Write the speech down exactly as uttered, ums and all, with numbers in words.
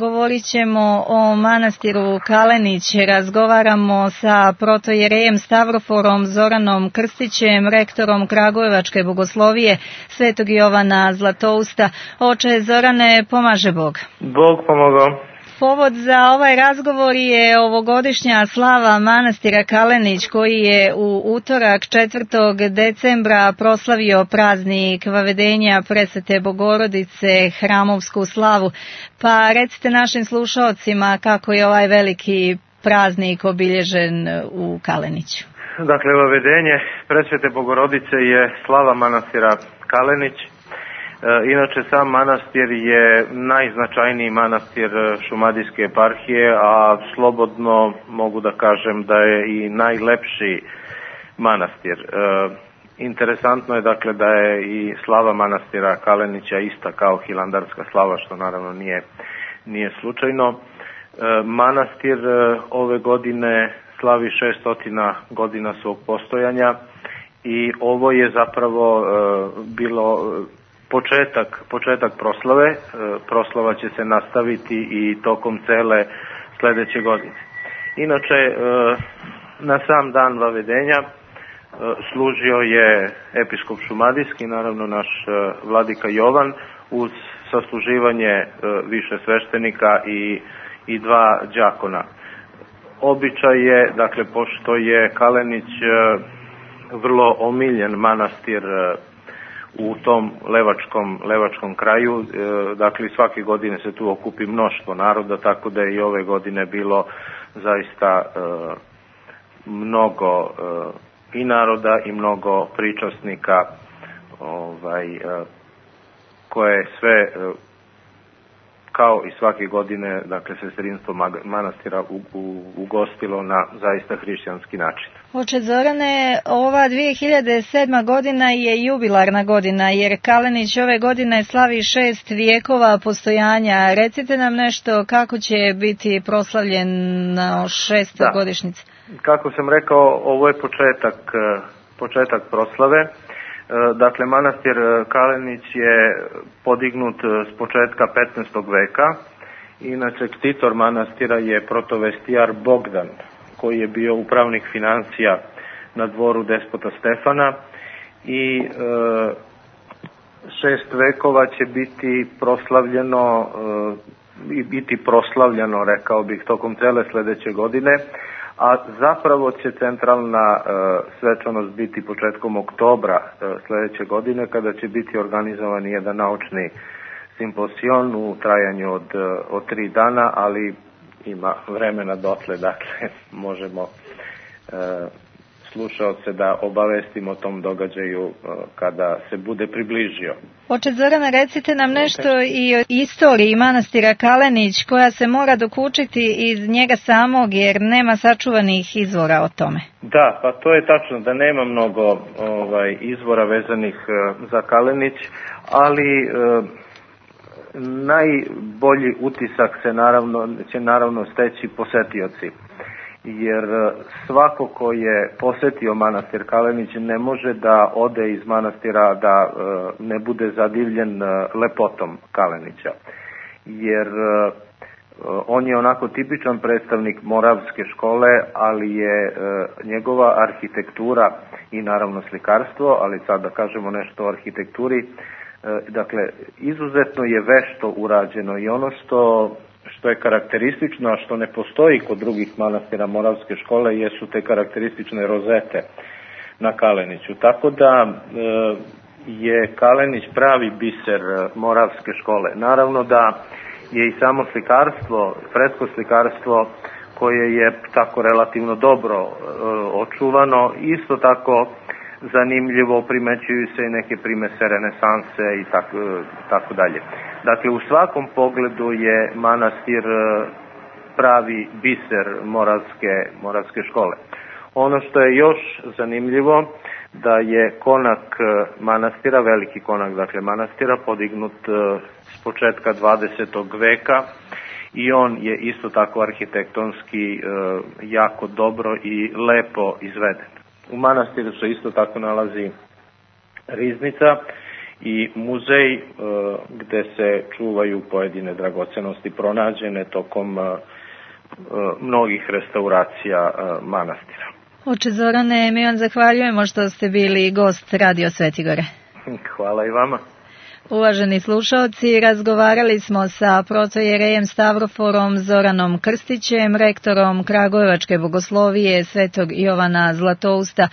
Govorit ćemo o manastiru Kalenić. Razgovaramo sa protojerejem Stavroforom Zoranom Krstićem, rektorom Kragujevačke bogoslovije Svetog Jovana Zlatousta. Oče Zorane, pomaže Bog. Bog pomogao. Povod za ovaj razgovor je ovogodišnja slava manastira Kalenić koji je u utorak četvrtog decembra proslavio praznik Vavedenja Presvete Bogorodice, hramovsku slavu. Pa recite našim slušaocima kako je ovaj veliki praznik obilježen u Kaleniću. Dakle, Vavedenje Presvete Bogorodice je slava manastira Kalenić. Inače, sam manastir je najznačajniji manastir Šumadijske eparhije, a slobodno mogu da kažem da je i najlepši manastir. E, interesantno je dakle da je i slava manastira Kalenića ista kao hilandarska slava, što naravno nije, nije slučajno. E, manastir ove godine slavi šesto godina svog postojanja i ovo je zapravo e, bilo Početak, početak proslave. E, proslava će se nastaviti i tokom cele sledeće godine. Inače, e, na sam dan Vavedenja e, služio je episkop Šumadijski, naravno naš e, vladika Jovan, uz sasluživanje e, više sveštenika i, i dva đakona. Običaj je, dakle, pošto je Kalenić e, vrlo omiljen manastir e, u tom levačkom, levačkom kraju, e, dakle svake godine se tu okupi mnoštvo naroda, tako da je i ove godine bilo zaista e, mnogo e, i naroda i mnogo pričasnika ovaj, e, koje sve e, kao i svake godine, dakle, sestrinstvo manastira ugostilo na zaista hrišćanski način. Oče Zorane, ova dvije hiljade sedma godina je jubilarna godina, jer Kalenić ove godine slavi šest vijekova postojanja. Recite nam nešto kako će biti proslavljen na šestoj godišnjici. Kako sam rekao, ovo je početak, početak proslave. Dakle, manastir Kalenić je podignut s početka petnaestog veka. Inače, ktitor manastira je protovestijar Bogdan, koji je bio upravnik financija na dvoru despota Stefana i e, šest vekova će biti proslavljeno e, i biti proslavljeno, rekao bih, tokom cele sledeće godine, a zapravo će centralna e, svečanost biti početkom oktobra e, sledeće godine, kada će biti organizovan jedan naučni simposion u trajanju od, od tri dana, ali ima vremena dotle, dakle možemo e, slušaoce da obavestimo o tom događaju e, kada se bude približio. Oče Zorana, recite nam nešto i o istoriji manastira Kalenić, koja se mora dokučiti iz njega samog, jer nema sačuvanih izvora o tome. Da, pa to je tačno da nema mnogo ovaj, izvora vezanih e, za Kalenić, ali e, najbolji utisak se naravno, će naravno steći posetioci, jer svako ko je posetio manastir Kalenić ne može da ode iz manastira da e, ne bude zadivljen e, lepotom Kalenića, jer e, on je onako tipičan predstavnik moravske škole, ali je e, njegova arhitektura i naravno slikarstvo, ali sad da kažemo nešto o arhitekturi. Dakle, izuzetno je vešto urađeno i ono što, što je karakteristično, a što ne postoji kod drugih manastira moravske škole, jesu te karakteristične rozete na Kaleniću. Tako da e, je Kalenić pravi biser moravske škole. Naravno da je i samo slikarstvo, fresko slikarstvo, koje je tako relativno dobro e, očuvano, isto tako zanimljivo, primećuju se i neke primese renesanse i tako, tako dalje. Dakle, u svakom pogledu je manastir pravi biser moravske, moravske škole. Ono što je još zanimljivo, da je konak manastira, veliki konak dakle manastira, podignut s početka dvadesetog veka i on je isto tako arhitektonski jako dobro i lepo izveden. U manastiru se isto tako nalazi riznica i muzej gde se čuvaju pojedine dragocenosti pronađene tokom mnogih restauracija manastira. Oče Zorane, mi vam zahvaljujemo što ste bili gost Radio Svetigore. Hvala i vama. Uvaženi slušaoci, razgovarali smo sa protojerejem Stavroforom Zoranom Krstićem, rektorom Kragujevačke bogoslovije Svetog Jovana Zlatousta.